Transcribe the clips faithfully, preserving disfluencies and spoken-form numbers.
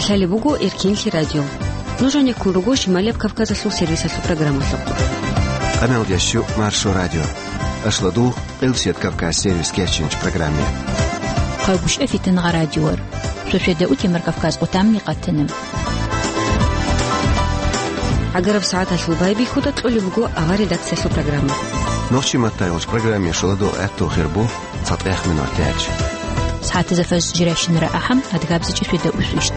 Лъалеб буго Эркенлъи радио. Нуж гьанеккун руго Шималияб Кавказалъул сервисалъул программалъухъ. Къаналдияс щу Маршо радио. Ашладул Къилсият Кавказ сервис кечинч программе. Хъагушев Фитнагъа радиор. Сосиеда Утимар Кавказ къутамни къатана. ГӀагараб сагӀаталъул байбихьуда кьолеб буго авар редакциялъул программа. Нохчи маттайгъулч программе шуладул гӀаттул хирбу цатӀех минор тяч. СагӀатазафаз жиращинара ахӀам адгабзичӀи сосиеда усвищт.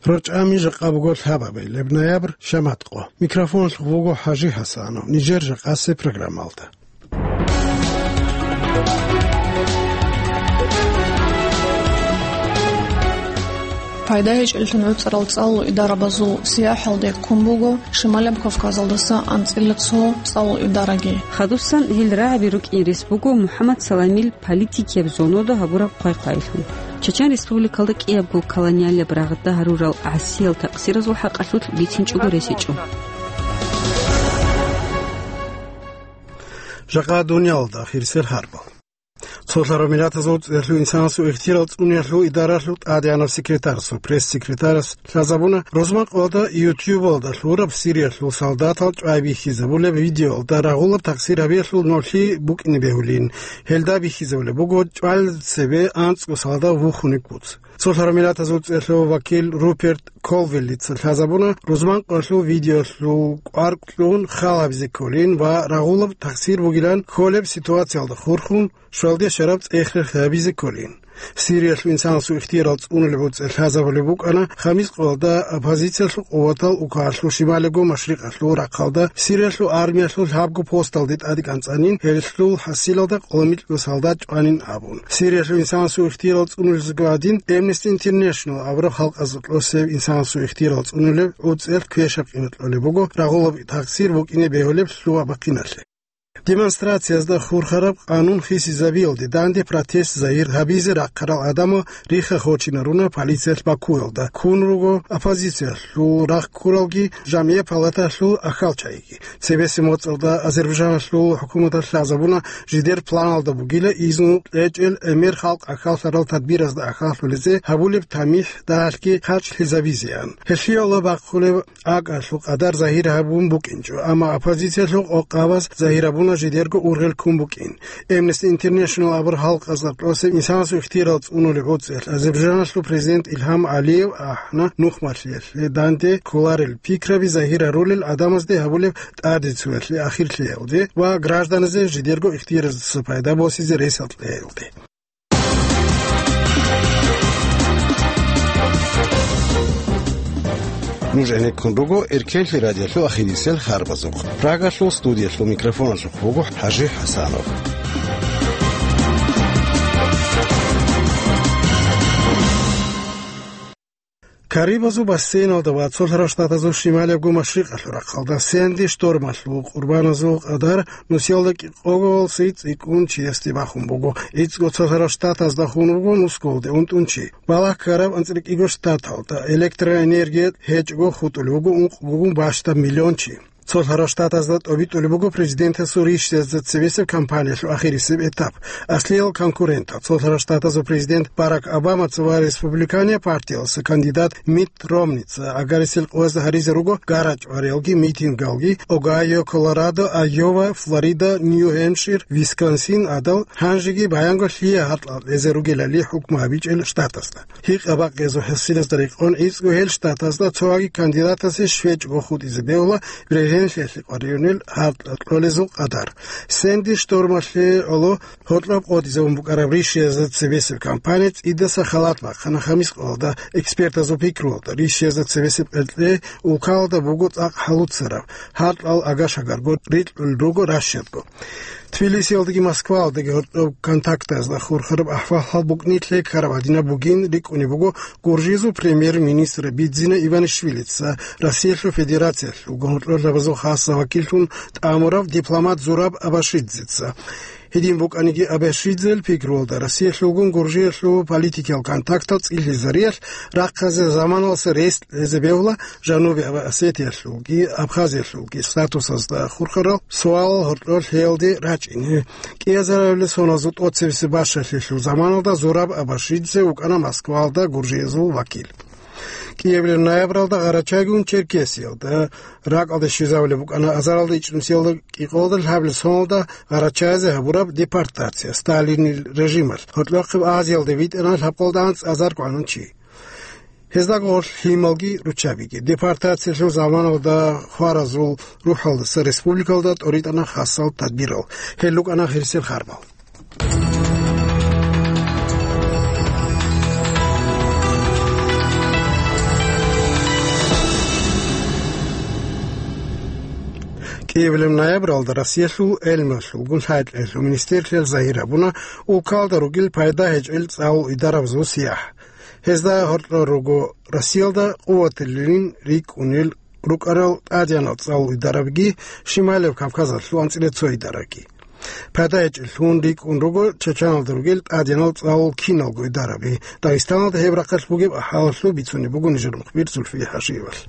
РорчӀами жакъа буго лъабабилеб ноябрь, шамат къо. Микрофоналъухъ буго ХӀажи ХӀасанов, нижер жакъасеб программалда. Пайда гьечӀеллъун гӀуцӀарал цӀалул идарабазул сияхӀалде ккун буго Шималаб Кавказалдаса анцӀила цо цӀалул идараги. Хадусан гьел рагӀаби рукӀин рес буго МухӀаммад Саламил политикияб зоналда гьабураб хъвай-хъвайилъун. Чечен Республикалда кӀиябго колониалияб рагъда гьарурал гӀасиял такъсиразул хӀакъалъулъ бицинчӀого рес гьечӀо. Жакъа дуниялалда ахирисел хӀарбал. Цолъараб Миллатазул ЦӀикӀкӀалъул инсанасул ихтияр цӀунулелъул идаралъул тӀадегӀанав секретарасул пресс-секретарас лъазабуна, рузман къоялда YouTube-алда лъураб Сириялъул солдатал чӀвай бихьизабулеб видеоялда рагъулаб такъсир гьабиялъул нолъи букӀине бегьулин. Гьелда бихьизабулеб буго чӀвал цебе анцӀго солдат вухунеб куц. Цолъараб Миллатазул ЦӀикӀкӀалъул вакил Руперт Колвиллица лъазабуна, рузман къоялъул видеоялъул кӀвар кьун хал гьабизе кколин ва рагъулаб такъсир бугилан кколеб ситуациялда хурхун, щвалде щвараб цӀех-рех гьабизе кколин. Сириялъул инсанасул ихтияр цӀунулеб гӀуцӀи лъазабулеб букӀана, хамис къоялда оппозициялъул къуватал Укалъул шималиго машрикъалъул рахъалда Сириялъул армиялъул лъабго посталде тӀаде кӀанцӀанин, гьелъул хӀасилалда къоло микьго солдат чӀванин абун. Сириялъул инсанасул ихтияр цӀунулезего гьадин, Amnesty International абураб халкъазда кьосеб инсанасул ихтияр цӀунулеб гӀуцӀиялъ квешаб къимат кьолеб буго рагъулаб такъсир букӀине бегьулеб лъугьа-бахъиналъе. Демонстрациязда хурхараб къанун хисизабиялде данде протест загьир гьабизе рахъарал гӀадамал рихха-хочинаруна полициялъ Бакуялда. Ккун руго оппозициялъул рахъ ккуралги, жамгӀият палаталъул ахьалчагӀиги. Цебесеб моцӀалда Азербайджаналъул хӀукуматалъ лъазабуна, жидер планалда бугила изну кьечӀел гӀемер халкъ ахьаллъарал тадбиразда ахьаллъулезе гьабулеб тамихӀ дагьалъги харчлъизабизеян. Гьелъие Аллагь бахъулеб акӀалъул къадар загьир гьабун букӀинчӀо, амма оппозициялъул къокъабаз загьир гьабуна жидерго ургъел ккун букӀин. Amnesty International абураб халкъазда кьосеб инсанасул ихтияр цӀунулеб гӀуцӀиялъ Азербайджаналъул президент Илгьам Алиев ахӀана нухмалъиялъе данде кколарел пикраби загьир гьарулел гӀадамазде гьабулеб тӀадицуялъе ахирлъиялде ва гражданазе жидерго ихтияраздаса пайда босизе ресалъ кьеялде. Нуж гӀенеккун руго Эркенлъи радиолъул ахирисел харбазухъ. Прагалъул студиялъул микрофоналъухъ буго ХӀажи ХӀасанов. Карибазул бассейналда ва цолъарал штатазул шималиябго машрикъалъул рахъалда Сэнди штормалъул къурбаназул къадар нусиялда кӀикъого цӀикӀкӀун чиясде бахун буго. ГӀицӀго цолъарал штатазда хун буго нусгоялде унтӀун чи. Балагь ккараб анцӀила кӀиго штаталда электроэнергия гьечӀого хутӀулев вуго ункъгогун бащдаб миллион чи. Цолъарал штатазда тӀобитӀулеб буго президентасул ришдазда цебесеб кампаниялъул ахирисеб этап. Аслиял конкурентал, цолъарал штатазул президент Барак Обамаца ва республиканияб партиялъул кандидат Митт Ромница, агарисел къоязда гьаризе руго гара-чӀвариялги митингалги Огайо, Колорадо, Айова, Флорида, Нью-Гьемпшир, Висконсин гӀадал, гьанжеги баянго лъие гьаркьал кьезе ругелали хӀукму гьабичӀел штатазда. Гьикъа-бакъиязул хӀасилазда рекъон гӀицӀго гьел штатазда цоги кандидатасе щвечӀого хутӀизе бегьула бергьенлъиялъе къваригӀунел гьаркьал кьолезул къадар. Сэнди штормалъе гӀоло гьоркьоб къотӀизабун букӀараб ришиязда цебесеб кампания цӀидаса халат бахъана хамис къоялда. Экспертазул пикруялда, ришиязда цебесеб къеркье улкалда буго цӀакъ хӀалуцараб, гьаркьал агаш-агарго рикьулел руго рашиядго. Тбилисиялдаги Москваялдаги гьоркьоб контактазда хурхараб ахӀвал-хӀал букӀни лъекараб гьадинаб бугин рикӀкӀунеб буго Гуржизул премьер-министр Бидзина Иванишвилица, Россиялъул Федерациялъул гьоркьолъабазул хасса вакиллъун тӀамурав дипломат Зураб Абашидзеца. Гьедин букӀаниги, Абашидзел пикруялда, Россиялъулгун Гуржиялъул политикиял контактал цӀилъизариялъ рахъазе заманалъа рес кьезе бегьула Жануби Осетиялъулги Абхазиялъулги статусазда хурхарал суалал гьоркьор лъеялде рачӀине. КӀиазарабилеб соналъул тӀоцебесеб бащалъиялъул заманалда Зураб Абашидзе вукӀана Москваялда гуржиязул вакил. КӀиабилеб ноябралда Гъарачайгун Черкесиялда, ракӀалде щвезабулеб букӀана азаралда ичӀнусиялда кӀикъоялда лъабабилеб соналда Гъарачазе гьабураб депортация Сталинил режималъ. Гьоркьохъеб Азиялде витӀана лъабкъоялда анцӀазарго гӀанун чи. Гьездаго гъорлъ лъималги руччабиги. Депортациялъул заманалда хваразул рухӀалдаса республикалда тӀоритӀана хасал тадбирал. Гьел рукӀана гъирсел харбал. КӀиабилеб ноябралда Россиялъул гӀелмуялъулгун лъайкьаялъул министрлъиялъ загьир гьабуна улкалда ругел пайда гьечӀел цӀалул идарабазул сияхӀ. Гьезда гьоркьор руго Россиялда къуватилин рикӀкӀунел рукӀарал тӀадегӀанал цӀалул идарабиги, Шималияб Кавказалъул анцӀила цо идараги. Пайда гьечӀеллъун рикӀкӀун руго Чачаналда ругел тӀадегӀанал цӀалул киналго идараби. Дагъистаналда гьеб рахъалъ бугеб ахӀвалалъул бицунеб буго нижер мухбир Зульфия Хашиевалъ.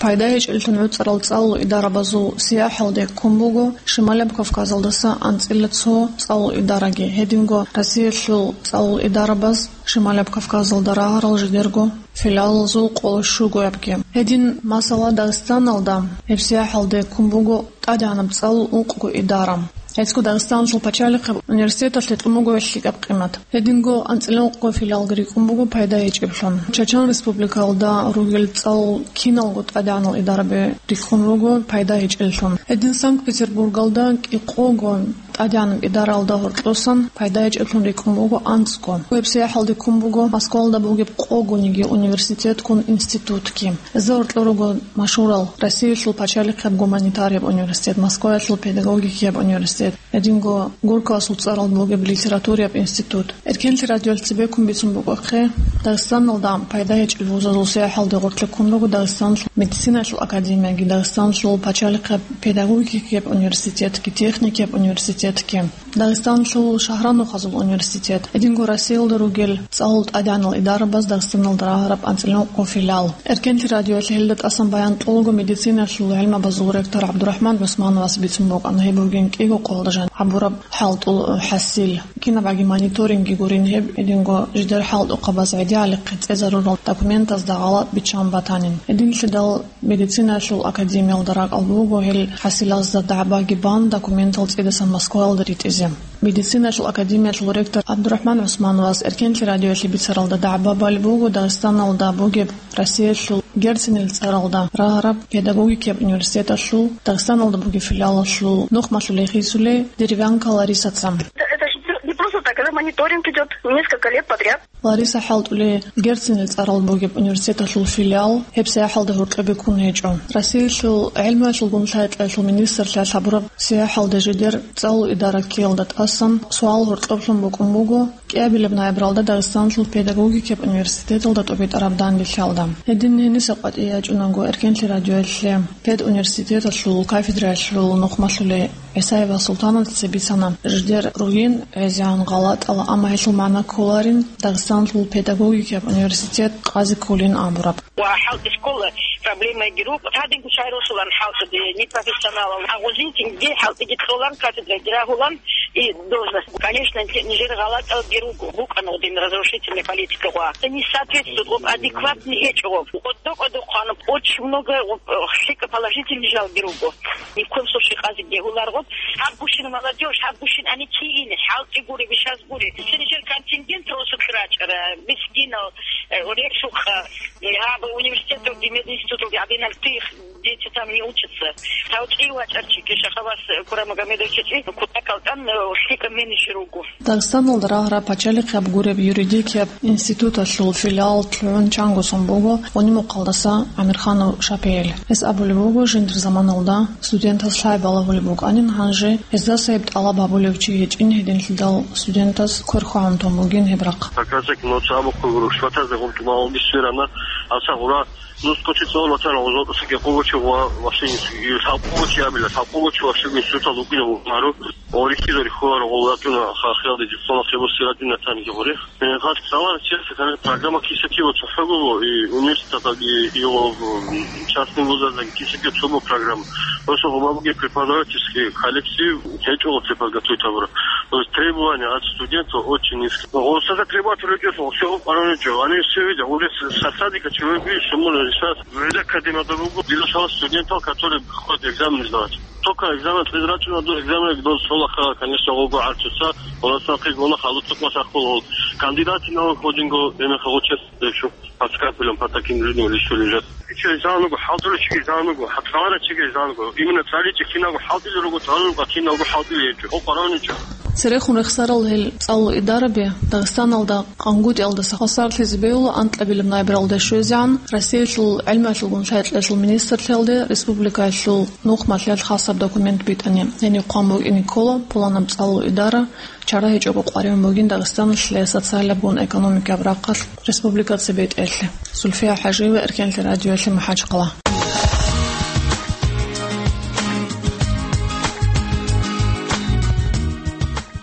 Пайда гьечӀеллъун гӀуцӀарал цӀалул идарабазул сияхӀалде ккун буго Шималияб Кавказалдаса анцӀила цо цӀалул идараги, гьединго Россиялъул цӀалул идарабаз Шималияб Кавказалда рагьарал жидерго филиалазул къоло щугоябги. Гьедин, масала, Дагъистаналда гьеб сияхӀалде ккун буго тӀадегӀанаб цӀалул ункъго идара. Гьецго Дагъистаналъул пачалихъеб университеталъе кьун буго гьелъ лъикӀаб къимат. Гьединго анцӀила ункъго филиалги рикӀкӀун буго пайда гьечӀеблъун. Чачан Республикалда ругел цӀалул киналго тӀадегӀанал идараби рикӀкӀун руго пайда гьечӀеллъун. Гьедин Санкт-Петербургалда кӀикъого тӀадегӀанаб идаралда гьоркьосан пайда гьечӀеблъун рикӀкӀун буго анцӀго. Гьеб сияхӀалде ккун буго Москвалда бугеб къогониги университетгун институтги. Гьезда гьоркьор руго машгьурал Россиялъул пачалихъеб гуманитарияб университет, Москваялъул педагогикияб университет, гьединго Горькоясул цӀарал бугеб литератураяб институт. Эркенлъи радиоялъ цебеккун бицун букӀвахъе, Дагъистаналда пайда гьечӀел вузазул сияхӀалде гъоркье ккун руго Дагъистаналъул медицинаялъул академияги, Дагъистаналъул пачалихъеб педагогикияб университетги, техникияб университетги. Дагъистаналъул шагьранухъазул университет, гьединго Россиялда ругел цӀалул тӀадегӀанал идарабаз Дагъистаналда рагьараб анцӀила ункъго филиал. Эркенлъи радиоялъ гьелда тӀасан баян кьолаго медицинаялъул гӀелмабазул ректор ГӀабдурахӀман ГӀусмановас бицун букӀана гьеб бугин кӀиго къоялда жан гьабураб хӀалтӀул хӀасил. Кинабаги мониторингги гурин гьеб, гьединго жидер хӀалтӀухъабаз гӀедегӀалихъе цӀезарурал документазда гъалатӀ биччан батанин. Гьединлъидал Медицинаялъул академиялда ракӀалда буго гьел хӀасилазда дагӀбаги бан документал цӀидасан Москваялда ритӀизе. Медицинаялъул академиялъул ректор ГӀабдурахӀман ГӀусмановас Эркенлъи радиоялъе бицаралда дагӀба балеб буго Дагъистаналда бугеб Россиялъул Герцинил цӀаралда рагьараб педагогикияб университеталъул Дагъистаналда бугеб филиалалъул нухмалъулей хисулей Деревянко Ларисаца. Это же не просто так, это мониторинг идёт несколько лет подряд. Лариса хӀалтӀулей Герцинил цӀарал бугеб университеталъул филиал гьеб сияхӀалда гьоркьобе ккун гьечӀо. Россиялъул гӀелмуялъулгун лъай-кьеялъул министрлъиялъ гьабураб сияхӀалда жидер цӀалул идара ккеялда тӀасан суал гьоркьоблъун букӀун буго кӀиабилеб ноябралда Дагъистаналъул педагогикияб университеталда тӀубитӀараб данделъиялда. Гьедин гьениса къватӀие ячӀунаго Эркенлъи радиоялъе педуниверситеталъул кафедраялъул нухмалъулей ГӀисаева Султанатица бицана, жидер ругин гӀезегӀан гъалатӀала, амма гьелъул магӀна кколарин Дагъистаналъул педагогикияб университет къазе кколин абураб. Ва хӀалтӀи школа проблемаги руго. Гьадинго шагьаралъулан хӀалтӀиги, непрофессионалал. Агъузин цинги хӀалтӀиги кьолан, кафедраги рагьулан и должность. Конечно, нижер гъалатӀалги руго. БукӀана гъодин разрушительная политика гъва. Не соответствует, гъоб адекватный гьечӀо гъоб. Кьодо-кьодо хъван, очень много гъоб, лъикӀа положительный жалги руго. Ни в коем случае къазе бегьуларгъун. Гьаб гущин молодёжь, гьаб гущин ани кигин, хӀалтӀи гури, вишаз гури. Нижер контингент росулъ рачӀара, мискинал, э, речухъа, э, гьаб университеталги, мединституталги гьабинал тих, дети там не учатся. Тавчи вачӀарчи, Кешахавас Курамагомедовича чи, кутакалтан, э, лъикӀа менеджер руго. Дагъистаналда рагьараб пачалихъ гьаб гуреб юридикияб институталъул филиал лъугӀун чанго сон буго Унимухъалдаса ГӀамирханов ШапигӀил. Гьес абулеб буго, жиндир заманалда студентаз лъай балагьулеб букӀанин, гьанже гьездаса гьеб тӀалаб гьабулев чи гьечӀин, гьединлъидал студентаз квер хвагӀун тун бугин гьеб рахъ. Как раз таки, ну, цо абухъе гуро, шватазе гъум тумал дисверана, Аса гъура нус коче цӀолатана гъозотӀусаги къугочи ва ващинисги лъабкъугочи абила, лъабкъугочи ващинисута лукӀина гъумару. Орихьизари хула рогъолатуна хахиялде диплома хебусиратуна танги гъурех. Э, хас цалар чеса кана программа кисаки ва цохӀого и университетаги, и, о, м, частный вузазаги кисаки цобо программа. Просто гъумабуги преподавательский коллектив гьечӀо подготовить абура. То есть требования от студентов очень низкие. Гъосаза требовать речӀо, всё параничо. Они все видят, уже с-, со садика человек видит, что можно решать. Везде академия добугу, дилушала студентов, которые приходят экзамен сдавать. Только экзамен призрачно до экзамена до школа, конечно, ого арчуса, у нас на пригона халуцук масахул. Кандидаты на выходинго, именно получается, что под скальпелем по таким людям решили взять. Че изануго, халтура чиги изануго, хатвара чиги изануго. Именно цали чехинаго халтили руго, цалуго кинаго халтили ечу. О, параничо. Церехун рехсарал гьел цӀалул идараби Дагъистаналда къангутӀиялдаса хвасарлъизе бегьула анкьабилеб найбералда щвезегӀан Россиялъул гӀелмуялъулгун лъай-кьеялъул министрлъиялде республикаялъул нухмалъиялъ хасаб документ битӀани. Гьениб хъван букӀине ккола пуланаб цӀалул идара чара гьечӀого къваригӀун бугин Дагъистаналъе социалабгун экономикаб рахъалъ республикаца бетӀерлъи. Зульфия ХӀажиева, Эркенлъи радиоялъе, МахӀачхъала.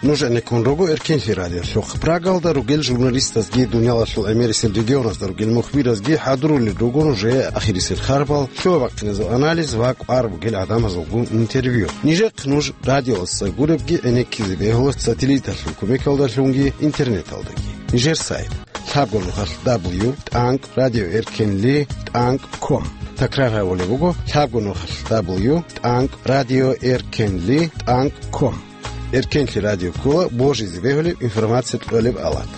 Нуж гӀенеккун руго Эркенлъи радиолъухъ. Прагалда ругел журналистазги, дуниялалъул гӀемерисел регионазда ругел мухбиразги хӀадурулел руго нужее ахирисел харбал, лъугьа-бахъиназул анализ ва кӀвар бугел гӀадамазулгун интервью. Нижехъ нуж радиоялдаса гуребги гӀенеккизе бегьула сателлиталъул кумекалдалъунги интернеталдаги. Нижер сайт: лъабго нухалъ дабл ю тӀанкӀ радио эркенли тӀанкӀ ком. Такрар гьабулеб буго: лъабго нухалъ дабл ю тӀанкӀ радио эркенли тӀанкӀ ком. Эркенлъи радио ккола божизе бегьулеб информация кьолеб алат.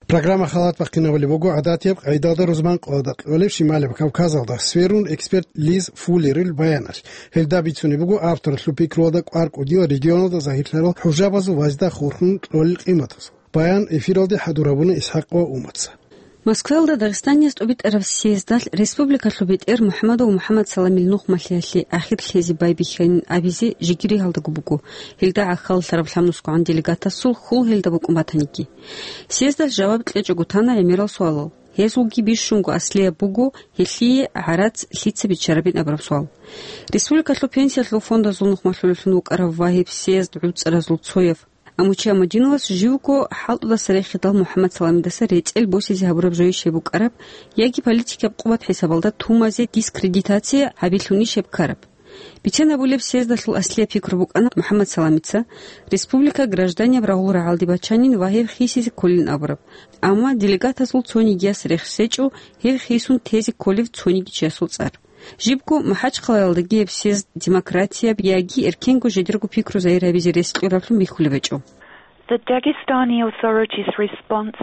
Программа халат бахъинабулеб буго гӀадатияб къайдалда рузман къоялда кьолеб Шималаб Кавказалда, сверун эксперт Лиз Фуллерил баяналъ. Гьелда бицунеб буго авторалъул пикруялда кӀвар кӀудиял регионалда загьирлъарал хӀужабазул вазда хурхун кьолел къиматаз. Баян эфиралде хӀадур гьабуна ИсхӀакъ ва Умаца. Москваялда Дагъистаниялъ тӀубитӀараб съездалъ республикалъул бетӀер МухӀамадов МухӀамад Саламил нухмалъиялъе ахирлъизе байбихьайин абизе жигири гьалдаго буго, гьелда гӀахьаллъараб лъабнусгогӀан делегатасул хьул гьелда букӀун батаниги. Съездалъ жаваб кьечӀого тана гӀемерал суалал. Гьезулги бищунго аслияб буго, гьелъие гӀарац лъица биччарабин абураб суал. Республикалъул пенсиялъул фондазул нухмалъулелъун вукӀарав ва гьеб съезд гӀуцӀаразул цояв Амучи Амудиновас живго хӀалтӀудаса рехидал МухӀаммад Саламидаса рецӀел босизе гьабураб жойищ гьеб букӀараб, яги политикаб къуват хӀисабалда тумазе дискредитация гьабилъунищ гьеб ккараб. Бицен абулеб, съездалъул аслияб пикру букӀана МухӀаммад Саламица, республика гражданияб рагъул рагӀалде бачанин ва гьеб хисизе кколин абураб. Амма делегатазул цонигияс рехсечӀо гьеб хисун тезе кколев цониги чиясул цӀар. Жибго МахӀачхъалаялдаги гьеб съезд демократияб яги эркенго жидерго пикру загьир гьабизе рес кьураблъун бихьулеб гьечӀо. The Dagestani authorities' response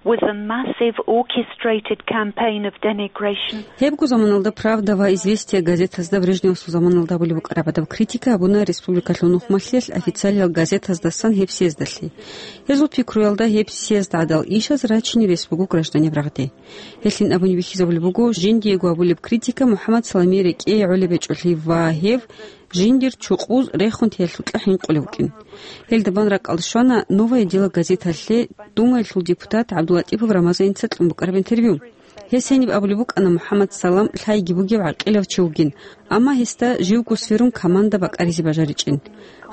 was a massive orchestrated campaign of denigration. Гьебго заманалда Правда ва Известия газетазда Брежневасул заманалда абулеб букӀараб гӀадаб критика гьабуна республикалъул нухмалъиялъ официалиял газетаздасан гьеб съездалъе. Гьезул пикруялда гьеб съезд гӀадал ишаз рачине рес буго гражданиб рагъде. Гьелъин абуни бихьизабулеб буго, жиндиего абулеб критика МухӀаммад Саламие рекӀее гӀолеб гьечӀолъи ва гьев жиндир чукъуз рехун теялъукьа хӀинкъулев вукӀин. Гьелда бан ракӀалда щвана «Новое дело» газеталъе Думаялъул депутат ГӀабдуллатӀипов Рамазаница кьун букӀараб интервью. Гьес гьениб абулеб букӀана МухӀаммад Салам лъайги бугев гӀакъилав чи вугин, амма гьесда живго сверун команда бакӀаризе бажаричӀин.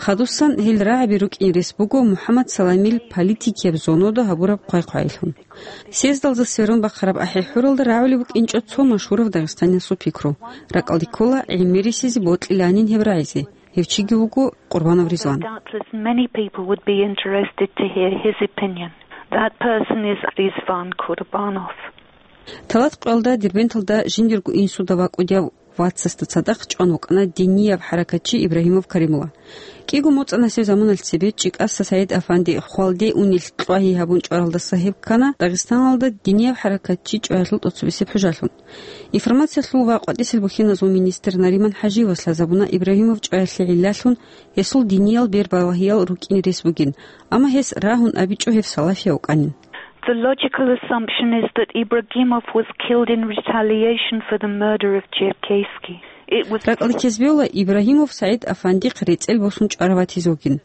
Хадусан гьел рагӀаби рукӀин рес буго МухӀаммад Саламил политикияб зонода гьабураб хъвай-хъвайилъун. Съездалда сверун бахъараб ахӀи-хӀуралда рагӀулеб букӀинчӀо цо машгьурав дагъистаниясул пикру. РакӀалде ккола гӀемерисезе бокьиланин гьеб рагӀизе. Гьев чиги вуго Къурбанов Ризван. Doubtless many people would be interested to hear his opinion. That person is Ризван Курбанов. Талат къоялда Дербенталда жиндирго инсуда вакӀудияв вацасда цадахъ чӀван вукӀана динияб хӀаракатчи Ибрагьимов Каримулла. КӀиго моцӀанасеб заманалъ цебе ЧӀикӀаса СагӀид-афанди хвалде унел кьвагьи гьабун чӀваралдаса гьеб ккана Дагъистаналда динияб хӀаракатчи чӀваялъул тӀоцебесеб хӀужалъун. Информациялъул ва къватӀисел бухьиназул министр Нариман ХӀажиевас лъазабуна Ибрагьимов чӀваялъе гӀиллалъун гьесул диниял бербалагьиял рукӀин рес бугин, амма гьес рагьун абичӀо гьев салафияв вукӀанин. The logical assumption is that Ibragimov was killed in retaliation for the murder of Черкесский. It was РакӀалде ккезбевла Ибрагьимов СагӀид Афандихъ рецӀел босун чӀвараватизе вугин.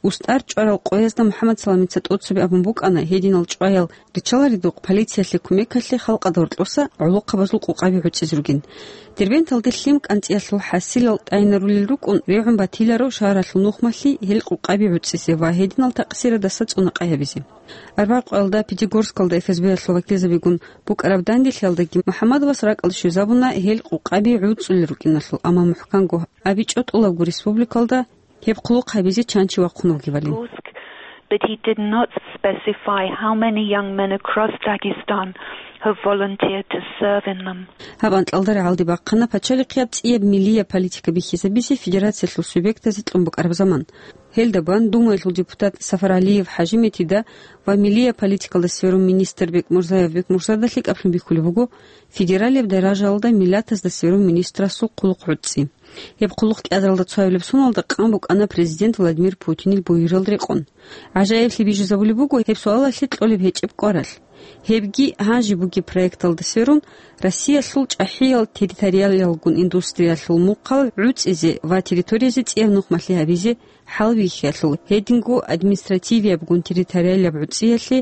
УстӀар чӀварал къоязда МухӀаммад Саламица тӀоцебе абун букӀана, гьединал чӀваял риччаларидухъ полициялъе кумекалъе халкъалда гьоркьоса гӀолохъабазул къукъаби гӀуцӀизе ругин. Дербенталде лъим кӀанцӀиялъул хӀасилал тӀайинарулел рукӀун регӀун батиларо шагьаралъул нухмалъи гьел къукъаби гӀуцӀизе ва гьединал такъсирадаса цӀунакъай гьабизе. Арбякъоялда Пятигорскалда ФСБ-ялъул вакилзабигун букӀараб данделъиялдаги МухӀаммадовас ракӀалде щвезабуна гьел къукъаби гӀуцӀулел рукӀиналъул, амма мухӀканго абичӀо тӀолабго республикалда гьеб хъулухъ гьабизе чан чи вахъун вугевали. But he did not specify how many young men across Dagestan have volunteered to serve in them. Гьаб анкьалда рагӀалде бахъана пачалихъияб цӀияб миллияб политика бихьизабизе федерациялъул субъектазе кьун букӀараб заман. Гьелда бан Думаялъул депутат Сафар ГӀалиев ХӀажиметтида ва миллияб политикалда сверун министр Бекмурзаев Бекмурзада лъикӀаблъун бихьулеб буго федералияб даражаялда миллатазда сверун министрасул хъулухъ гӀуцӀи. Гьеб хъулухъ кӀиазаралда цоабилеб соналда къан букӀана президент Владимир Путинил буюрал рекъон. ГӀажаиблъи бижизабулеб буго гьеб суалалъе кьолеб гьечӀеб кӀваралъ. Гьебги гьанже бугеб проекталда сверун, Россиялъул чӀахӀиял территориалиялгун индустриялъул мухъал гӀуцӀизе ва территориязе цӀияб нухмалъи гьабизе хӀалбихьиялъул, гьединго административиябгун территориалияб гӀуцӀиялъе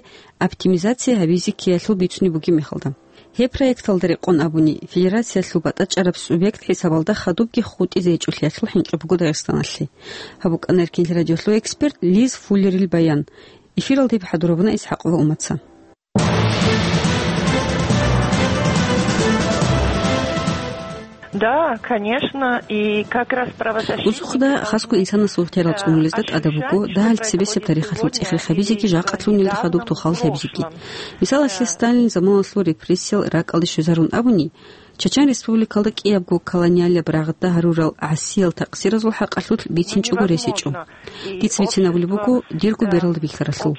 оптимизация гьабизе ккеялъул бицунеб бугеб мехалда. Гьеб проекталда рекъон абуни, федерациялъул батӀачӀараб субъект хӀисабалда хадубги хутӀизе гьечӀолъиялъул хӀинкъи буго Дагъистаналъе. Гьаб букӀана Эркенлъи радиолъул эксперт Лиз Фуллерил баян. Эфиралда гьеб хӀадурабуна ИсхӀакъова Умаца. Да, конечно, и как раз правозащитникам... Бусухъда хасго инсанасул ихтиярал цӀунулезда тӀадаб буго, дагьал цебесеб тарихалъул цӀех-рехабизеги жакъалъунилда хадуб тухал лъабизеги. Мисалалъе, Сталин заманалъул репрессиял ракӀалде щвезарун абуни, Чачан Республикалда кӀиябго колониалияб рагъда гьарурал гӀасиял такъсиразул хӀакъалъулъ бицинчӀого рес гьечӀо. Дица бицинабулеб буго дирго бералда бихьаралъул.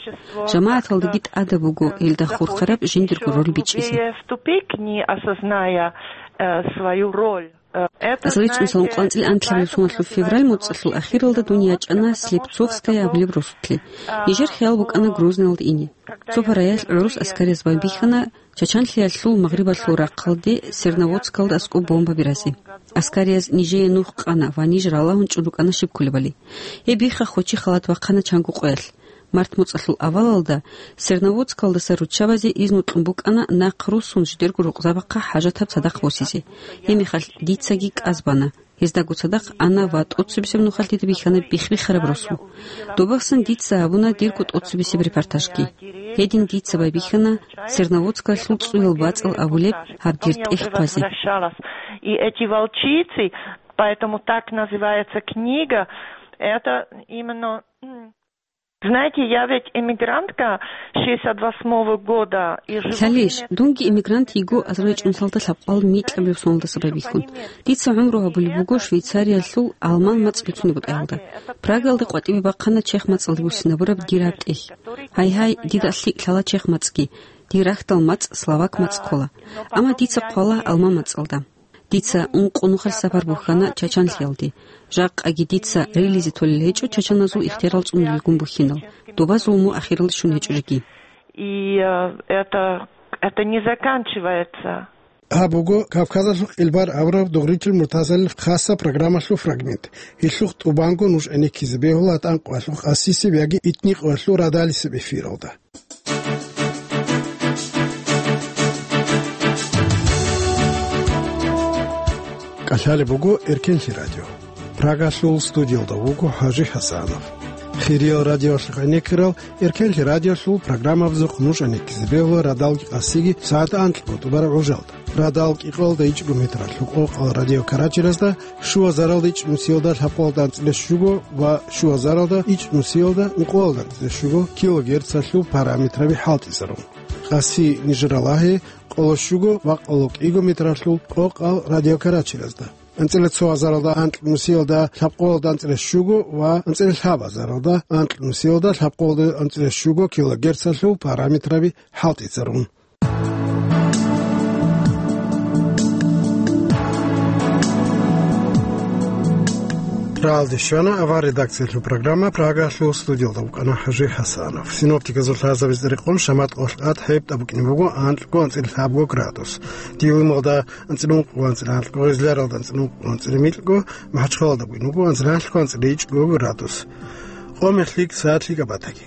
ЖамагӀаталдаги тӀадаб буго гьелда хурхараб жиндирго роль бичӀчӀизе. Вступить, не осозная, э, свою роль. Э, это, Азаричун салун знаете, кьанцӀил анлъабилеб соналъул февраль моцӀалъул ахиралда дун ячӀана Слепцовская абулеб росулъе. Нижер хиял букӀана Грозныйалда ине. Цо параялъ гӀурус аскарияз байбихьана Чачанлъиялъул магърибалъул рахъалде Серноводскалда аскӀоб бомба биразе. Аскарияз нижее нух къана ва ниж ралагьун чӀун рукӀана щиб кколебали. Гьеб бихха хочи халат бахъана чанго къоялъ. Март моцӀалъул авалалда Серноводскалдаса руччабазе изну кьун букӀана нахъ руссун жидерго рукъзабахъа хӀажатаб цадахъ босизе. Гьеб мехалъ дицаги кӀаз бана. Гьездаго цадахъ ана ва тӀоцебесеб нухалъ дида бихьана бихбихараб росу. Добасан дица гьабуна дирго тӀоцебесеб репортажги. Гьедин дица байбихьана Серноводскалъул цӀуял бацӀал абулеб гьаб дир тӀехь хъвазе. И эти волчицы, поэтому так называется книга, это именно, м, Знаете, я ведь эмигрантка шестьдесят восьмого года и живу в Лъалищ, Немецкой. Дунги эмигрант йиго азаричӀун салда лъабкъал микьабилеб соналдаса байбихьун. Дица гӀумру гьабулеб буго Швейцариялъул алман мацӀ бицунеб бутӀаялда. Прагаялда къватӀибе бахъана чех мацӀалде буссинабураб дир гьаб тӀехь. Гьай-гьай, дида лъикӀ лъала чех мацӀги. Дир рахьдал мацӀ словак мацӀ ккола. Амма дица хъвала алман мацӀалда. Дица ункъо нухалъ сапар бухьана Чачанлъиялде. Жакъаги дица рилизе толел гьечӀо чачаназул ихтиярал цӀунулелгун бухьинал, доба зулму ахиралде щун гьечӀо жеги. И, э, это, это не заканчивается. Гьаб буго Кавказалъул къилбар абураб Дугъричил Муртазалил хасаб программалъул фрагмент. Гьелъухъ тӀубанго нуж гӀенеккизе бегьула тӀанкъвалъухъ асисеб яги итникъвалъул радалисеб эфиралда. КӀалъалеб буго Эркенлъи радио. Прагалъул студиялда вуго ХӀажи ХӀасанов. Хириял радиоялъухъ гӀенеккарал Эркенлъи радиолъул программабазухъ нуж гӀенеккизе бегьула радалги къасиги сагӀат анкьго тӀубараб гӀужалда. Радал кӀикъоялда ичӀго метралъул къокъал радиокарачиразда, щуазаралда ичӀнусиялда лъабкъоялда анцӀила щуго ва щуазаралда ичӀнусиялда ункъоялда анцӀила щуго килогерцалъул параметраби хӀалтӀизарун. Къаси нижер ралагье къоло щуго ва къоло кӀиго метралъул къокъал радиокарачиразда. АнцӀила цо азаралда анкьнусиялда лъабкъоялда анцӀила щуго ва анцӀила лъабазаралда анкьнусиялда лъабкъоялда анцӀила щуго килогерцалъул параметраби хӀалтӀизарун. Ралде щвана авар редакциялъул программа, Прагалъул студиялда вукӀана ХӀажи ХӀасанов. Синоптиказул лъазабиз рекъон шамат къолъ къад гьеб тӀа букӀине буго анкьго анцӀила лъабго градус. Дилималда анцӀила ункъго анцӀила анкьго, Гъизляралда анцӀила ункъго анцӀила микьго, МахӀачхъалалда бугин буго анцӀила анлъго анцӀила ичӀго градус. Къо мехлъи саатлъи габатаги.